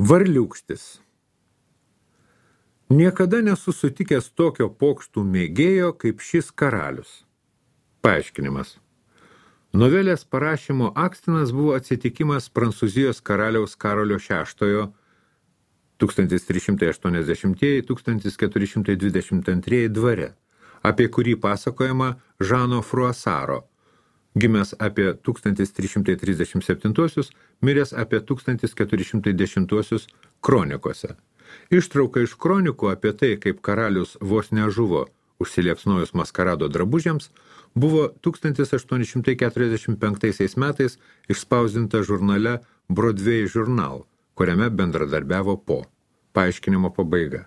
Varliūkštis. Niekada nesu sutikęs tokio pokštų mėgėjo kaip šis karalius. Paaiškinimas. Novelės parašymo akstinas buvo atsitikimas Prancūzijos karaliaus Karolio VI 1380–1422 dvare, apie kurį pasakojama Žano Fruasaro, gimęs apie 1337, miręs apie 1410 kronikose. Ištrauka iš kronikų apie tai, kaip karalius vos nežuvo užsiliepsnojus maskarado drabužiams, buvo 1845 metais išspausdinta žurnale Broadway Journal, kuriame bendradarbiavo Po. Paaiškinimo pabaiga.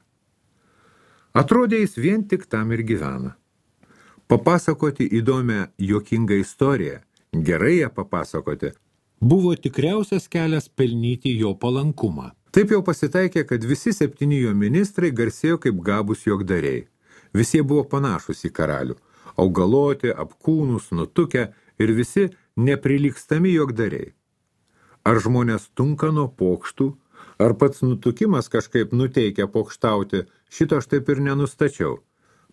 Atrodė jis vien tik tam ir gyvena. Papasakoti įdomią, juokingą istoriją, gerai ją papasakoti, buvo tikriausias kelias pelnyti jo palankumą. Taip jau pasitaikė, kad visi 7 jo ministrai garsėjo kaip gabūs juokdariai. Visi buvo panašus į karalių, augaloti, apkūnus, nutukę ir visi neprilygstami juokdariai. Ar žmonės tunka nuo pokštų, ar pats nutukimas kažkaip nuteikia pokštauti, šito aš taip ir nenustačiau.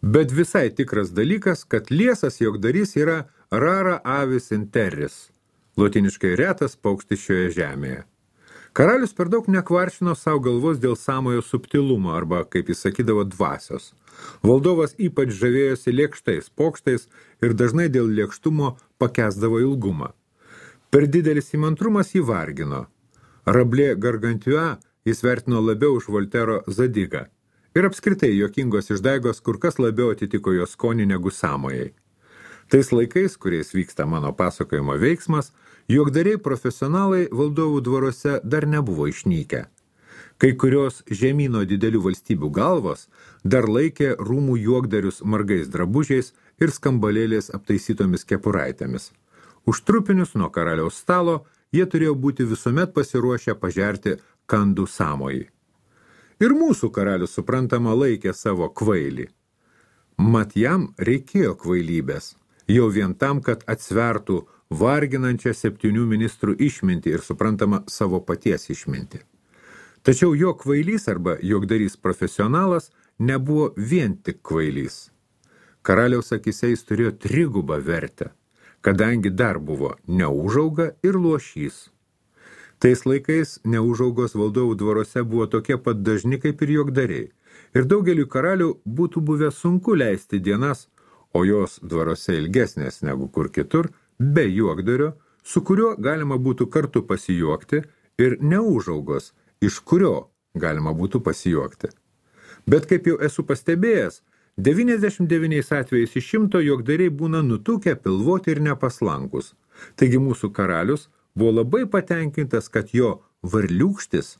Bet visai tikras dalykas, kad liesas juokdarys yra rara avis in terris, lotiniškai retas paukštis šioje žemėje. Karalius per daug nekvaršino savo galvos dėl sąmojo subtilumo arba, kaip jis sakydavo, dvasios. Valdovas ypač žavėjosi lėkštais pokštais ir dažnai dėl lėkštumo pakęsdavo ilgumą. Per didelis įmantrumas jį vargino. Rablė Gargantua jis vertino labiau už Voltero Zadigą. Ir apskritai juokingos išdaigos kur kas labiau atitiko jo skonį negu sąmojai. Tais laikais, kuriais vyksta mano pasakojimo veiksmas, juokdariai profesionalai valdovų dvaruose dar nebuvo išnykę. Kai kurios žemyno didelių valstybių galvos dar laikė rūmų juokdarius margais drabužiais ir skambalėlės aptaisytomis kepuraitėmis. Už trupinius nuo karaliaus stalo jie turėjo būti visuomet pasiruošę pažerti kandų sąmojį. Ir mūsų karalius suprantama laikė savo kvailį. Mat jam reikėjo kvailybės, jau vien tam, kad atsvertų varginančią 7 ministrų išmintį ir suprantama savo paties išmintį. Tačiau jo kvailys arba juokdarys profesionalas nebuvo vien tik kvailys. Karaliaus akyse jis turėjo trigubą vertę, kadangi dar buvo neūžauga ir luošys. Tais laikais neūžaugos valdovų dvaruose buvo tokie pat dažni kaip ir juokdariai, ir daugeliu karalių būtų buvę sunku leisti dienas, o jos dvaruose ilgesnės negu kur kitur, be juokdario, su kuriuo galima būtų kartu pasijuokti, ir neūžaugos, iš kurio galima būtų pasijuokti. Bet kaip jau esu pastebėjęs, 99 atvejais iš 100 juokdariai būna nutukę, pilvoti ir nepaslankus. Taigi mūsų karalius buvo labai patenkintas, kad jo varliūkštis,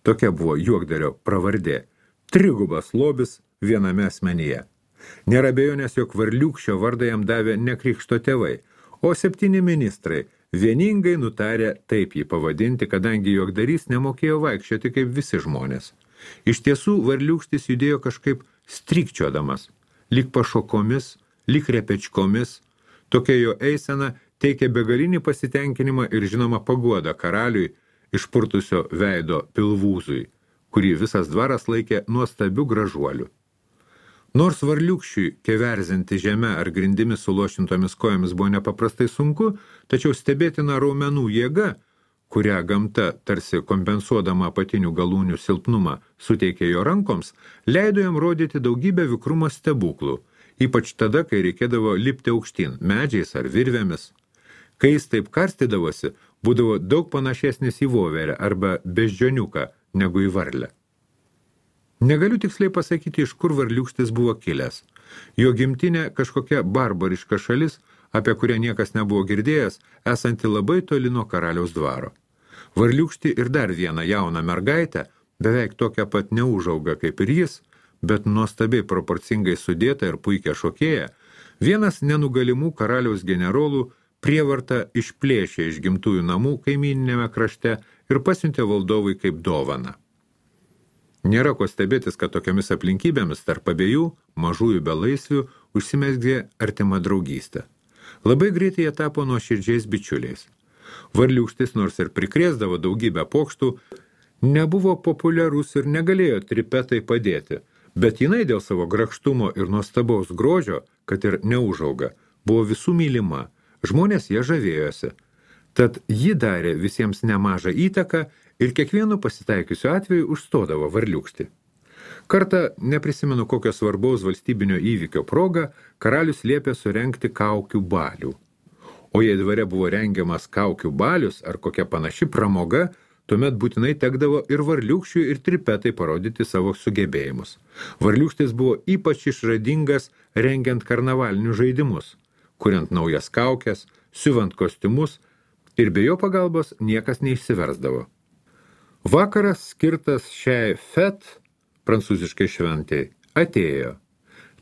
tokia buvo juokdario pravardė, trigubas lobis viename asmenyje. Nėra abejonės, jog varliūkščio vardą jam davė ne krikšto tėvai, o 7 ministrai vieningai nutarė taip jį pavadinti, kadangi juokdarys nemokėjo vaikščioti kaip visi žmonės. Iš tiesų, varliūkštis judėjo kažkaip strikčiodamas, lyg pašokomis, lyg repečkomis. Tokia jo eisena teikė begalinį pasitenkinimą ir žinoma paguodą karaliui išpurtusio veido pilvūzui, kurį visas dvaras laikė nuostabiu gražuoliu. Nors varliūkščiui keverzinti žemę ar grindimis sulošintomis kojomis buvo nepaprastai sunku, tačiau stebėtina raumenų jėga, kurią gamta, tarsi kompensuodama apatinių galūnių silpnumą, suteikė jo rankoms, leido jam rodyti daugybę vikrumo stebuklų, ypač tada, kai reikėdavo lipti aukštyn, medžiais ar virvėmis. Kai jis taip karstydavosi, būdavo daug panašesnis į voverę arba beždžioniuką negu į varlę. Negaliu tiksliai pasakyti, iš kur varliūkštis buvo kilęs. Jo gimtinė kažkokia barbariška šalis, apie kurią niekas nebuvo girdėjęs, esanti labai toli nuo karaliaus dvaro. Varliūkštį ir dar vieną jauną mergaitę, beveik tokią pat neūžaugą kaip ir jis, bet nuostabiai proporcingai sudėta ir puikia šokėja, vienas nenugalimų karaliaus generolų prievartą išplėšė iš gimtųjų namų kaimyninėme krašte ir pasiuntė valdovui kaip dovaną. Nėra ko stebėtis, kad tokiamis aplinkybėmis tarp abiejų mažųjų belaisvių užsimezgė artima draugystė. Labai greitai jie tapo nuoširdžiais bičiuliais. Varliūkštis nors ir prikrėsdavo daugybę pokštų, Nebuvo populiarus ir negalėjo tripetai padėti, bet jinai dėl savo grakštumo ir nuostabaus grožio, kad ir neužauga, buvo visų mylima, žmonės jie žavėjosi. Tad ji darė visiems nemažą įtaką ir kiekvienu pasitaikiusiu atveju užstodavo varliūkštį. Kartą, neprisimenu kokio svarbaus valstybinio įvykio proga, karalius liepė surengti kaukių balių. O jei dvare buvo rengiamas kaukių balius ar kokia panaši pramoga, tuomet būtinai tekdavo ir varliūkščiui ir tripetai parodyti savo sugebėjimus. Varliūkštis buvo ypač išradingas rengiant karnavalinius žaidimus, kuriant naujas kaukes, siuvant kostiumus ir be jo pagalbos niekas neišsiversdavo. Vakaras skirtas šiai fête, prancūziškai šventai, atėjo.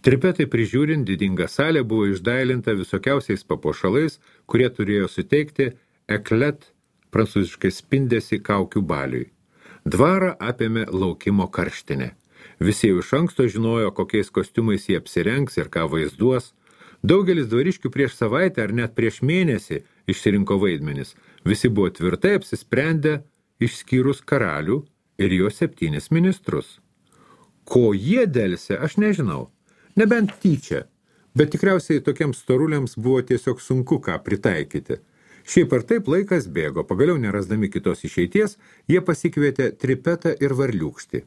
Tripetai prižiūrint didinga salė buvo išdailinta visokiausiais papuošalais, kurie turėjo suteikti eklet, prancūziškai spindesį kaukių baliui. Dvarą apėmė laukimo karštinė. Visi jau iš anksto žinojo, kokiais kostiumais jie apsirengs ir ką vaizduos. Daugelis dvariškių prieš savaitę ar net prieš mėnesį išsirinko vaidmenis. Visi buvo tvirtai apsisprendę, išskyrus karalių ir jo 7 ministrus. Ko jie delsė, aš nežinau. Nebent tyčia, bet tikriausiai tokiems storuliams buvo tiesiog sunku ką pritaikyti. Šiaip ar taip laikas bėgo, pagaliau nerasdami kitos išeities, jie pasikvietė tripetą ir varliūkštį.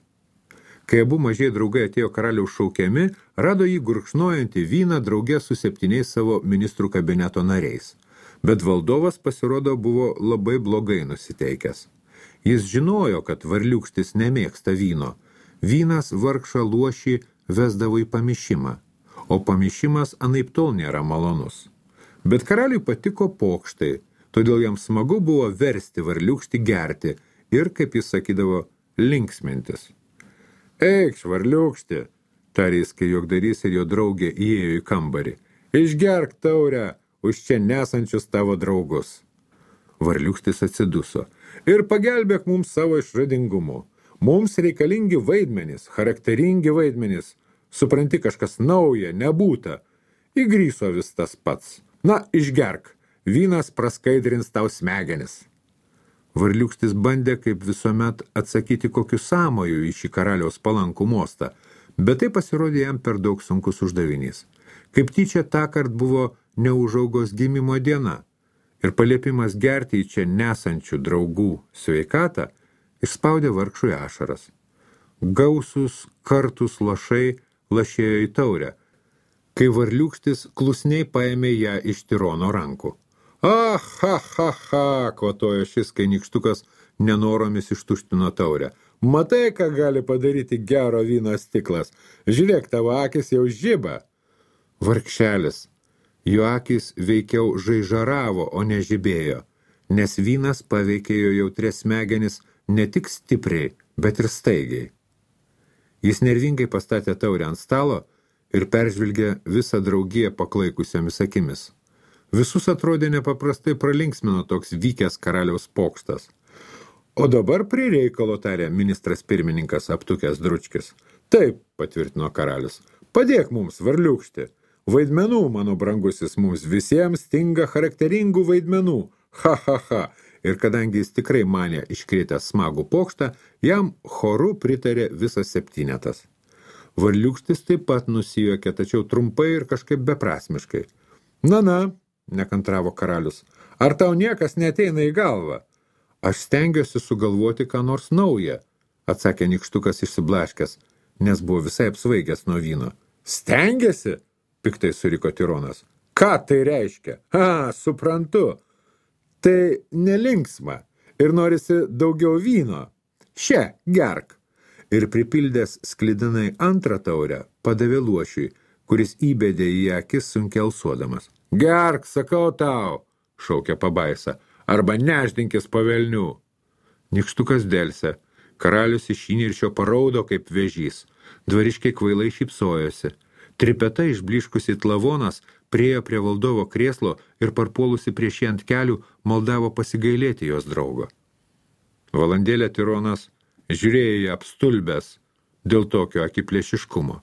Kai abu mažiai draugai atėjo karaliaus šaukiami, rado jį gurkšnojantį vyną drauge su 7 savo ministrų kabineto nariais. Bet valdovas pasirodo buvo labai blogai nusiteikęs. Jis žinojo, kad varliūkštis nemėgsta vyno. Vynas vargšą luošį vesdavo į pamišimą, o pamišimas anaiptol nėra malonus. Bet karaliui patiko pokštai, todėl jam smagu buvo versti varliūkštį gerti ir, kaip jis sakydavo, linksmintis. Eikš, varliūkšti, tarė jis, kai juokdarys ir jo draugė įėjo į kambarį. Išgerk taurę už čia nesančius tavo draugus. Varliūkštis atsiduso. Ir pagelbėk mums savo išradingumu. Mums reikalingi vaidmenys, charakteringi vaidmenys. Supranti, kažkas nauja, nebūta. Įgryso vis tas pats. Na, išgerk. Vynas praskaidrins tau smegenis. Varliūkštis bandė, kaip visuomet, atsakyti kokiu sąmoju į šį karaliaus palankų mostą, bet tai pasirodė jam per daug sunkus uždavinys. Kaip tyčia tąkart buvo neužaugos gimimo diena ir paliepimas gerti į čia nesančių draugų sveikatą išspaudė vargšui ašaras. Gausus kartus lašai lašėjo į taurę, kai varliūkštis klusniai paėmė ją iš tirono rankų. Ah, ha, ha, ha, kvatojo šis, kai nykštukas nenoromis ištuštino taurę. Matai, ką gali padaryti gero vyno stiklas. Žiūrėk, tavo akis jau žiba. Vargšelis. Jo akis veikiau žaižaravo, o ne žibėjo, nes vynas paveikė jo jautrias smegenis ne tik stipriai, bet ir staigiai. Jis nervingai pastatė taurę ant stalo ir peržvilgė visą draugiją paklaikusiomis akimis. Visus atrodė nepaprastai pralinksmino toks vykęs karaliaus pokštas. O dabar prie reikalo, tarė ministras pirmininkas aptukęs dručkis. Taip, patvirtino karalius, padėk mums, varliūkšti. Vaidmenų, mano brangusis, mums visiems stinga charakteringų vaidmenų. Ha, ha, ha. Ir kadangi jis tikrai manė iškrėtęs smagų pokštą, jam choru pritarė visas 7. Varliūkštis taip pat nusijuokė, tačiau trumpai ir kažkaip beprasmiškai. Na, nekantravo karalius, ar tau niekas neateina į galvą? Aš stengiuosi sugalvoti ką nors naują, atsakė nykštukas išsiblaškęs, nes buvo visai apsvaigęs nuo vyno. Stengiasi? Piktai suriko tironas. Ką tai reiškia? Suprantu. Tai nelinksma ir norisi daugiau vyno. Še, gerk. Ir pripildęs sklidinai antrą taurę, padavė luošiui, kuris įbedė į akis sunkiai alsuodamas. Gerk, sakau tau, šaukė pabaisa, arba neždinkis po velnių. Nykštukas delsė, karalius iš įniršio paraudo kaip vėžys, dvariškiai kvailai šypsojosi. Tripeta išbliškusi Tlavonas priėjo prie valdovo krėslo ir parpuolusi prieš jį ant kelių maldavo pasigailėti jos draugo. Valandėlę tironas žiūrėjo į apstulbęs dėl tokio akiplėšiškumo.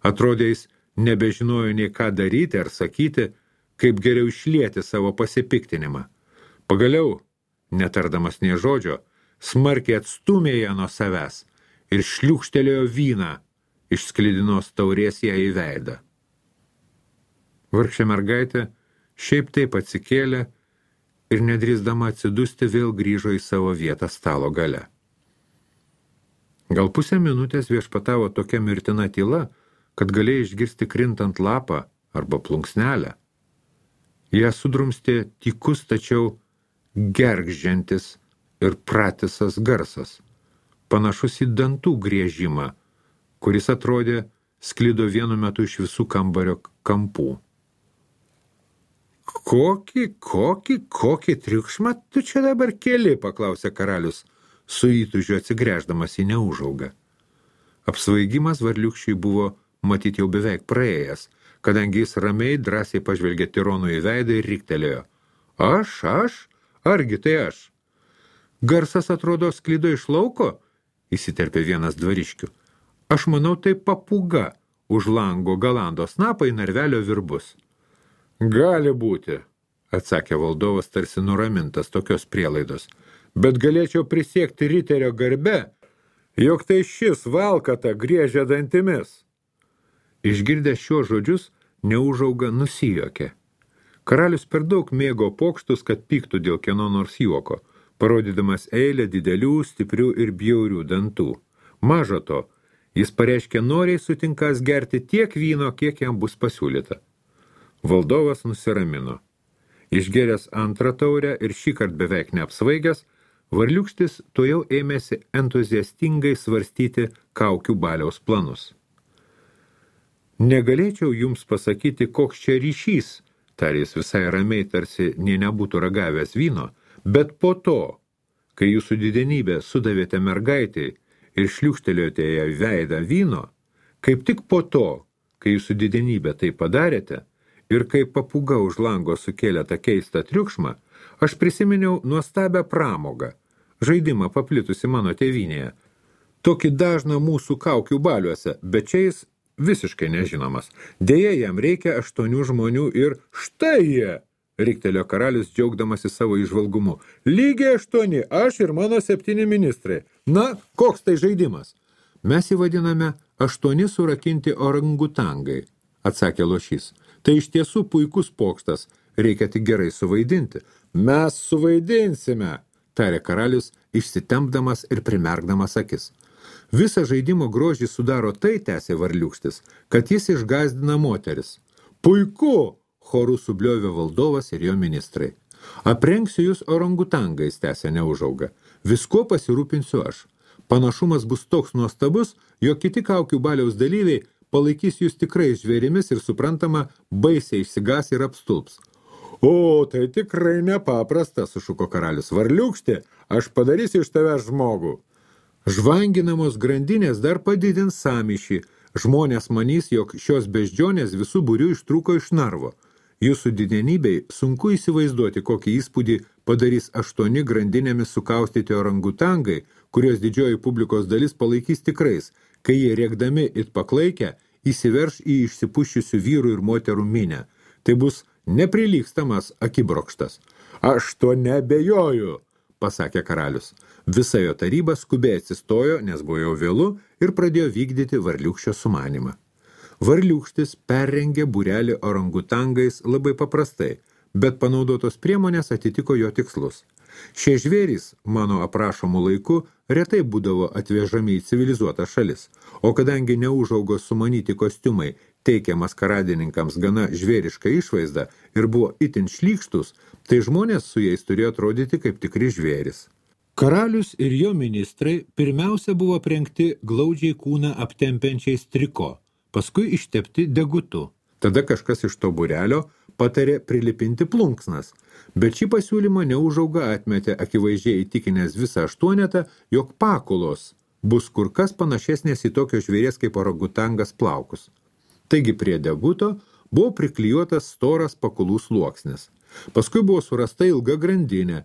Atrodė, jis nebežinojo nei ką daryti ar sakyti, kaip geriau išlieti savo pasipiktinimą. Pagaliau, netardamas nė žodžio, smarkiai atstumė ją nuo savęs ir šliūkštelėjo vyną iš sklidinos taurės ją į veidą. Vargšė mergaitė šiaip taip atsikėlė ir nedrįsdama atsidusti vėl grįžo į savo vietą stalo gale. Gal pusę minutės viešpatavo tokia mirtina tyla, kad galėjai išgirsti krintant lapą arba plunksnelę. Ją sudrumstė tykus, tačiau gergždžiantis ir pratisas garsas, panašus į dantų griežimą, kuris atrodė sklido vienu metu iš visų kambario kampų. Kokį triukšmą tu čia dabar keli, paklausė karalius, su įtūžiu atsigręždamas į Neūžaugą. Apsvaigimas varliūkščiui buvo matyti jau beveik praėjęs, kadangi jis ramiai drąsiai pažvelgė tironui į veidą ir riktelėjo. Aš? Argi tai aš? Garsas atrodo sklido iš lauko, įsiterpė vienas dvariškių. Aš manau, tai papūga už lango galando snapą į narvelio virbus. Gali būti, atsakė valdovas tarsi nuramintas tokios prielaidos, bet galėčiau prisiekti riterio garbe, jog tai šis valkata griežia dantimis. Išgirdęs šiuos žodžius, Neūžauga nusijuokė. Karalius per daug mėgo pokštus, kad pyktų dėl kieno nors juoko, parodydamas eilę didelių, stiprių ir bjaurių dantų. Maža to, jis pareiškė noriai sutinkas gerti tiek vyno, kiek jam bus pasiūlyta. Valdovas nusiramino. Išgėręs antrą taurę ir šįkart beveik neapsvaigęs, varliūkštis tuojau ėmėsi entuziastingai svarstyti kaukių baliaus planus. Negalėčiau jums pasakyti, koks čia ryšys, tarė jis visai ramiai, tarsi nė nebūtų ragavęs vyno, bet po to, kai jūsų didenybė sudavėte mergaitį ir šliūkštelėjote ją veidą vyno, kaip tik po to, kai jūsų didenybė tai padarėte, ir kai papūga už lango sukėlė tą keistą triukšmą, aš prisiminiau nuostabią pramogą, žaidimą paplitusi mano tėvynėje. Tokį dažną mūsų kaukių baliuose, bet čia jis visiškai nežinomas. Deja, jam reikia 8 žmonių ir štai jie, riktelėjo karalius džiaugdamasi savo įžvalgumu. Lygiai 8, aš ir mano 7 ministrai. Na, koks tai žaidimas? Mes jį vadiname 8 surakinti orangutangai, atsakė lošys. Tai iš tiesų puikus pokštas, reikia tik gerai suvaidinti. Mes suvaidinsime, tarė karalius, išsitempdamas ir primerkdamas akis. Visą žaidimo grožį sudaro tai, tęsė varliūkštis, kad jis išgąsdina moteris. Puiku, choru subliovė valdovas ir jo ministrai. Aprengsiu jūs orangutangais, tęsė Neūžauga. Viskuo pasirūpinsiu aš. Panašumas bus toks nuostabus, jog kiti kaukių baliaus dalyviai palaikys jūs tikrai žvėrimis ir suprantama, baisiai išsigas ir apstulps. O, tai tikrai nepaprasta, sušuko karalius. Varliūkšti, aš padarysiu iš tavęs žmogų. Žvanginamos grandinės dar padidins sąmyšį. Žmonės manys, jog šios beždžionės visų būrių ištrūko iš narvo. Jūsų didenybei sunku įsivaizduoti, kokį įspūdį padarys 8 grandinėmis sukaustyti orangutangai, kurios didžioji publikos dalis palaikys tikrais, kai jie rėkdami it paklaikę įsiverš į išsipuščiusių vyrų ir moterų minę. Tai bus neprilygstamas akibrokštas. Aš to nebejoju, pasakė karalius. Visa jo taryba skubiai atsistojo, nes buvo jau vėlu, ir pradėjo vykdyti varliūkščio sumanimą. Varliūkštis perrengė būrelį orangutangais labai paprastai, bet panaudotos priemonės atitiko jo tikslus. Šie žvėrys, mano aprašomų laiku, retai būdavo atvežami į civilizuotą šalis, o kadangi Neūžaugos sumanyti kostiumai teikė maskaradininkams gana žvėrišką išvaizdą ir buvo itin šlykštus, tai žmonės su jais turėjo atrodyti kaip tikri žvėris. Karalius ir jo ministrai pirmiausia buvo aprengti glaudžiai kūną aptempiančiais triko, paskui ištepti degutu. Tada kažkas iš to būrelio patarė prilipinti plunksnas, bet šį pasiūlymą Neūžauga atmetė akivaizdžiai įtikinęs visą 8, jog pakulos bus kur kas panašesnės į tokio žvėries kaip orangutangas plaukus. Taigi prie deguto buvo priklijuotas storas pakulų sluoksnis. Paskui buvo surasta ilga grandinė.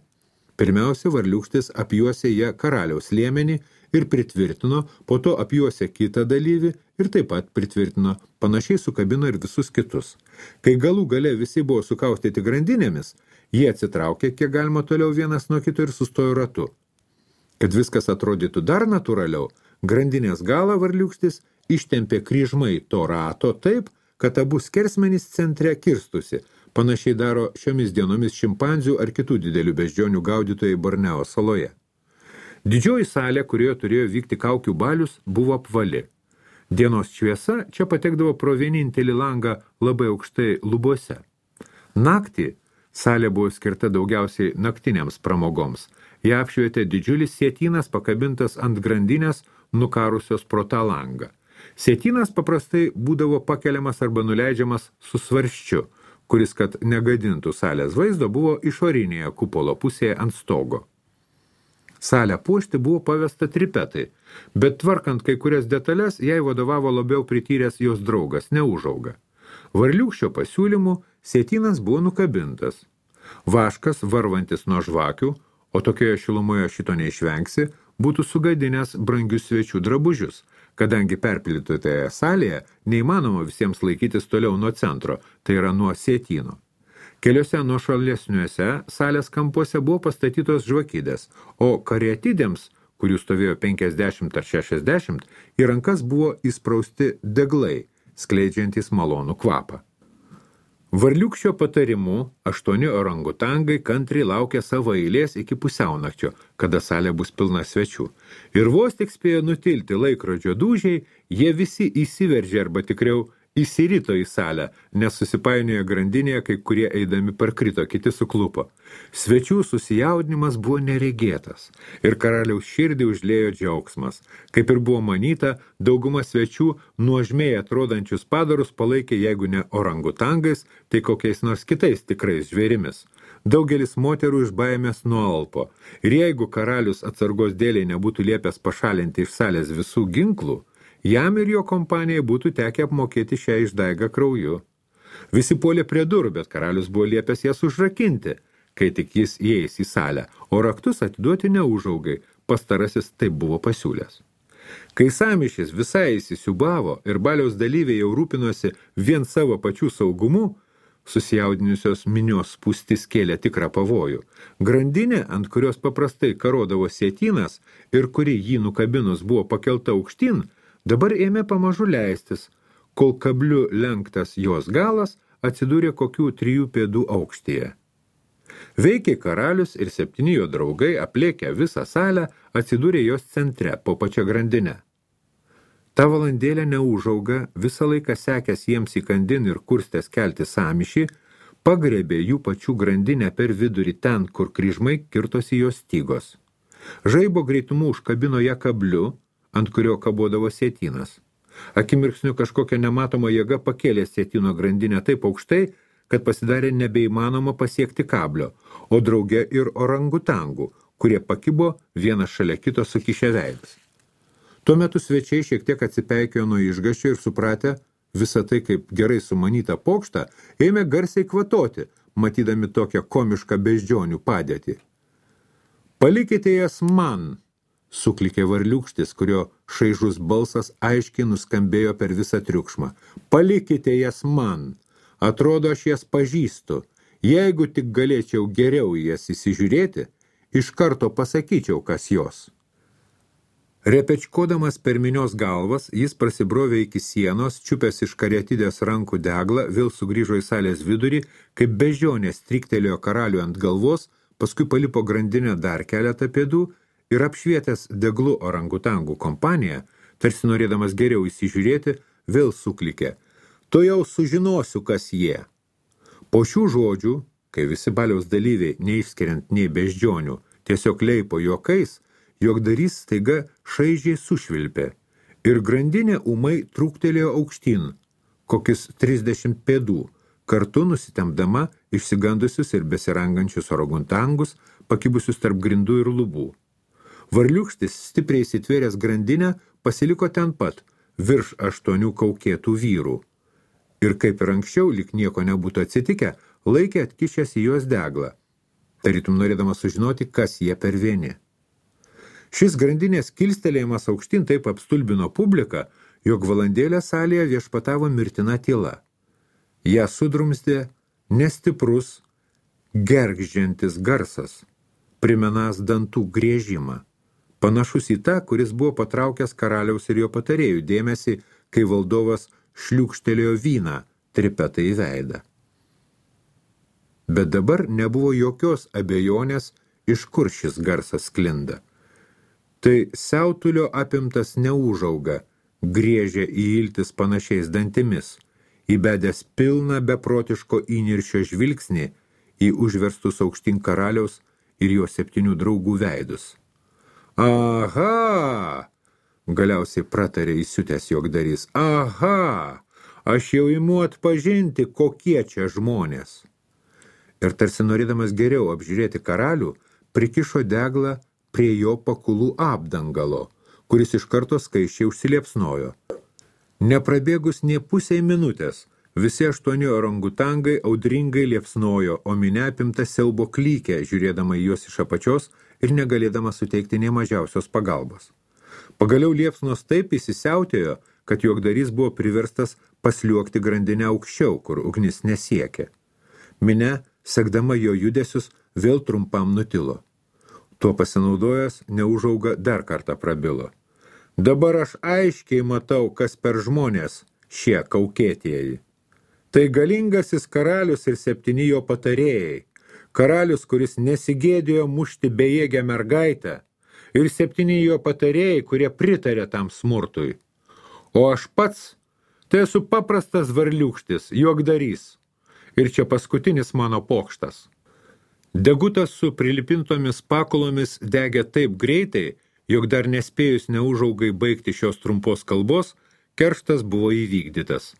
Pirmiausia, varliūkštis apjuosė ją karaliaus liemenį ir pritvirtino, po to apjuosė kitą dalyvį ir taip pat pritvirtino, panašiai sukabino ir visus kitus. Kai galų gale visi buvo sukaustyti grandinėmis, jie atsitraukė, kiek galima toliau vienas nuo kito ir sustojo ratu. Kad viskas atrodytų dar natūraliau, grandinės galą varliūkštis ištempė kryžmai to rato taip, kad abu skersmenys centre kirstusi. Panašiai daro šiomis dienomis šimpanzių ar kitų didelių beždžionių gaudytojai Borneo saloje. Didžioji salė, kurioje turėjo vykti kaukių balius, buvo apvali. Dienos šviesa čia patekdavo pro vienintelį langą labai aukštai lubose. Naktį salė buvo skirta daugiausiai naktiniams pramogoms. Ją apšvietė didžiulis sietynas pakabintas ant grandinės nukarusios pro tą langą. Sietynas paprastai būdavo pakeliamas arba nuleidžiamas su svarščiu, kuris, kad negadintų salės vaizdo, buvo išorinėje kupolo pusėje ant stogo. Salę puošti buvo pavesta tripetai, bet tvarkant kai kurias detalės, jai vadovavo labiau prityręs jos draugas, Neužauga. Varliūkščio pasiūlymų sietynas buvo nukabintas. Vaškas, varvantis nuo žvakių, o tokioje šilumoje šito neišvengsi, būtų sugadinęs brangius svečių drabužius, kadangi perpildytoje salėje neįmanoma visiems laikytis toliau nuo centro, tai yra nuo sietyno. Keliuose nuošalesniuose salės kampuose buvo pastatytos žvakidės, o kariatidėms, kurių stovėjo 50 ar 60, į rankas buvo įsprausti deglai, skleidžiantys malonų kvapą. Varliūkščio patarimu 8 orangutangai kantriai laukė savo eilės iki pusiaunakčio, kada salė bus pilna svečių. Ir vos tik spėjo nutilti laikrodžio dūžiai, jie visi įsiveržė arba tikriau įsirito į salę, nes susipainiojo grandinėje, kai kurie eidami parkrito, kiti suklupo. Svečių susijaudinimas buvo neregėtas ir karaliaus širdį užliejo džiaugsmas. Kaip ir buvo manyta, dauguma svečių nuožmiai atrodančius padarus palaikė, jeigu ne orangutangais, tai kokiais nors kitais tikrais žvėrimis. Daugelis moterų iš baimės nualpo ir jeigu karalius atsargos dėliai nebūtų liepęs pašalinti iš salės visų ginklų, jam ir jo kompanijai būtų tekę apmokėti šią išdaigą krauju. Visi puolė prie durų, bet karalius buvo liepęs jas užrakinti, kai tik jis įeis į salę, o raktus atiduoti Neužaugai, pastarasis taip buvo pasiūlęs. Kai sąmyšis visai įsisiubavo ir baliaus dalyviai jau rūpinosi vien savo pačių saugumu, susijaudinusios minios spūstis kėlė tikrą pavojų. Grandinė, ant kurios paprastai karodavo sietynas ir kuri jį nukabinus buvo pakelta aukštyn, dabar ėmė pamažu leistis, kol kabliu lenktas jos galas atsidūrė kokių 3 pėdų aukštyje. Veikiai karalius ir 7 jo draugai, aplėkę visą salę, atsidūrė jos centre, po pačia grandinę. Ta valandėlė Neužauga, visą laiką sekęs jiems įkandin ir kurstęs kelti sąmyšį, pagrebė jų pačių grandinę per vidurį ten, kur kryžmai kirtosi jos stygos. Žaibo greitumu užkabino ją kabliu, ant kurio kabodavo sietynas. Akimirksniu kažkokia nematoma jėga pakėlė sietyno grandinę taip aukštai, kad pasidarė nebeįmanoma pasiekti kablio, o drauge ir orangutangų, kurie pakibo vienas šalia kito sukišę veidus. Tuo metu svečiai šiek tiek atsipeikėjo nuo išgąsčio ir supratę visą tai kaip gerai sumanytą pokštą, ėmė garsiai kvatoti, matydami tokią komišką beždžionių padėtį. Palikite jas man, suklikė varliūkštis, kurio šaižus balsas aiškiai nuskambėjo per visą triukšmą. Palikite jas man. Atrodo, aš jas pažįstu. Jeigu tik galėčiau geriau jas įsižiūrėti, iš karto pasakyčiau, kas jos. Repečkodamas per minios galvas, jis prasibrovė iki sienos, čiupęs iš kariatidės rankų deglą, vėl sugrįžo į salės vidurį, kaip beždžionė striktelėjo karalių ant galvos, paskui palipo grandinę dar keletą pėdų ir apšvietęs deglu orangutangų kompaniją, tarsi norėdamas geriau įsižiūrėti, vėl suklikė. To jau sužinosiu, kas jie. Po šių žodžių, kai visi baliaus dalyviai, neišskiriant nei beždžionių, tiesiog leipo juokais, juokdarys staiga šaižiai sušvilpė ir grandinė ūmai trūktelėjo aukštyn, kokius 30 pėdų, kartu nusitemdama išsigandusius ir besirangančius orangutangus, pakibusius tarp grindų ir lubų. Varliūkštis, stipriai įsitvėręs grandinę, pasiliko ten pat, virš 8 kaukėtų vyrų. Ir kaip ir anksčiau, lyg nieko nebūtų atsitikę, laikė atkišęs į juos deglą, tarytum norėdamas sužinoti, kas jie per vieni. Šis grandinės kilstelėjimas aukštyn taip apstulbino publiką, jog valandėlę salėje viešpatavo mirtina tyla. Ją sudrumstė nestiprus, gergždžiantis garsas, primenąs dantų griežimą. panašus į tą, kuris buvo patraukęs karaliaus ir jo patarėjų dėmesį, kai valdovas šliūkštelėjo vyną Tripetai į veidą. Bet dabar nebuvo jokios abejonės, iš kur šis garsas sklinda. Tai siautulio apimtas neūžauga, griežė į iltis panašiais dantimis, įbedęs pilną beprotiško įniršio žvilgsnį į užverstus aukštyn karaliaus ir jo 7 draugų veidus. Aha! Galiausiai pratarė įsiutęs juokdarys. Aha! Aš jau imu atpažinti, kokie čia žmonės. Ir tarsi norėdamas geriau apžiūrėti karalių, prikišo deglą prie jo pakulų apdangalo, kuris iš karto skaičiai užsiliepsnojo. Neprabėgus nė pusei minutės, visi 8 orangutangai audringai liepsnojo, o minia apimta siaubo klykė, žiūrėdama į juos iš apačios ir negalėdama suteikti nė mažiausios pagalbos. Pagaliau liepsnos taip įsisiautėjo, kad juokdarys buvo priverstas pasliuokti grandinę aukščiau, kur ugnis nesiekė. Minia, sekdama jo judesius, vėl trumpam nutilo. Tuo pasinaudojęs, neužauga dar kartą prabilo. Dabar aš aiškiai matau, kas per žmonės šie kaukėtieji. Tai galingasis karalius ir 7 jo patarėjai. Karalius, kuris nesigėdėjo mušti bejėgę mergaitę, ir 7 jo patarėjai, kurie pritarė tam smurtui. O aš pats, tai esu paprastas varliūkštis, juokdarys. Ir čia paskutinis mano pokštas. Degutas su prilipintomis pakulomis degė taip greitai, jog dar nespėjus neužaugai baigti šios trumpos kalbos, kerštas buvo įvykdytas.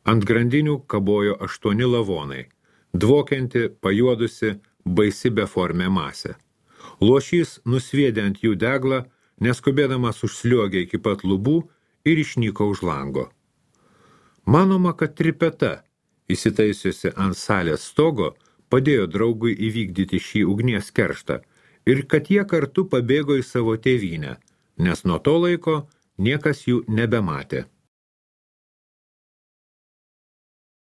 Ant grandinių kabojo 8 lavonai, dvokianti, pajuodusi, baisi beformė masė. Luošys nusviedė ant jų deglą, neskubėdamas užsliuogė iki pat lubų ir išnyko už lango. Manoma, kad Tripeta, įsitaisiusi ant salės stogo, padėjo draugui įvykdyti šį ugnies kerštą ir kad jie kartu pabėgo į savo tėvynę, nes nuo to laiko niekas jų nebematė.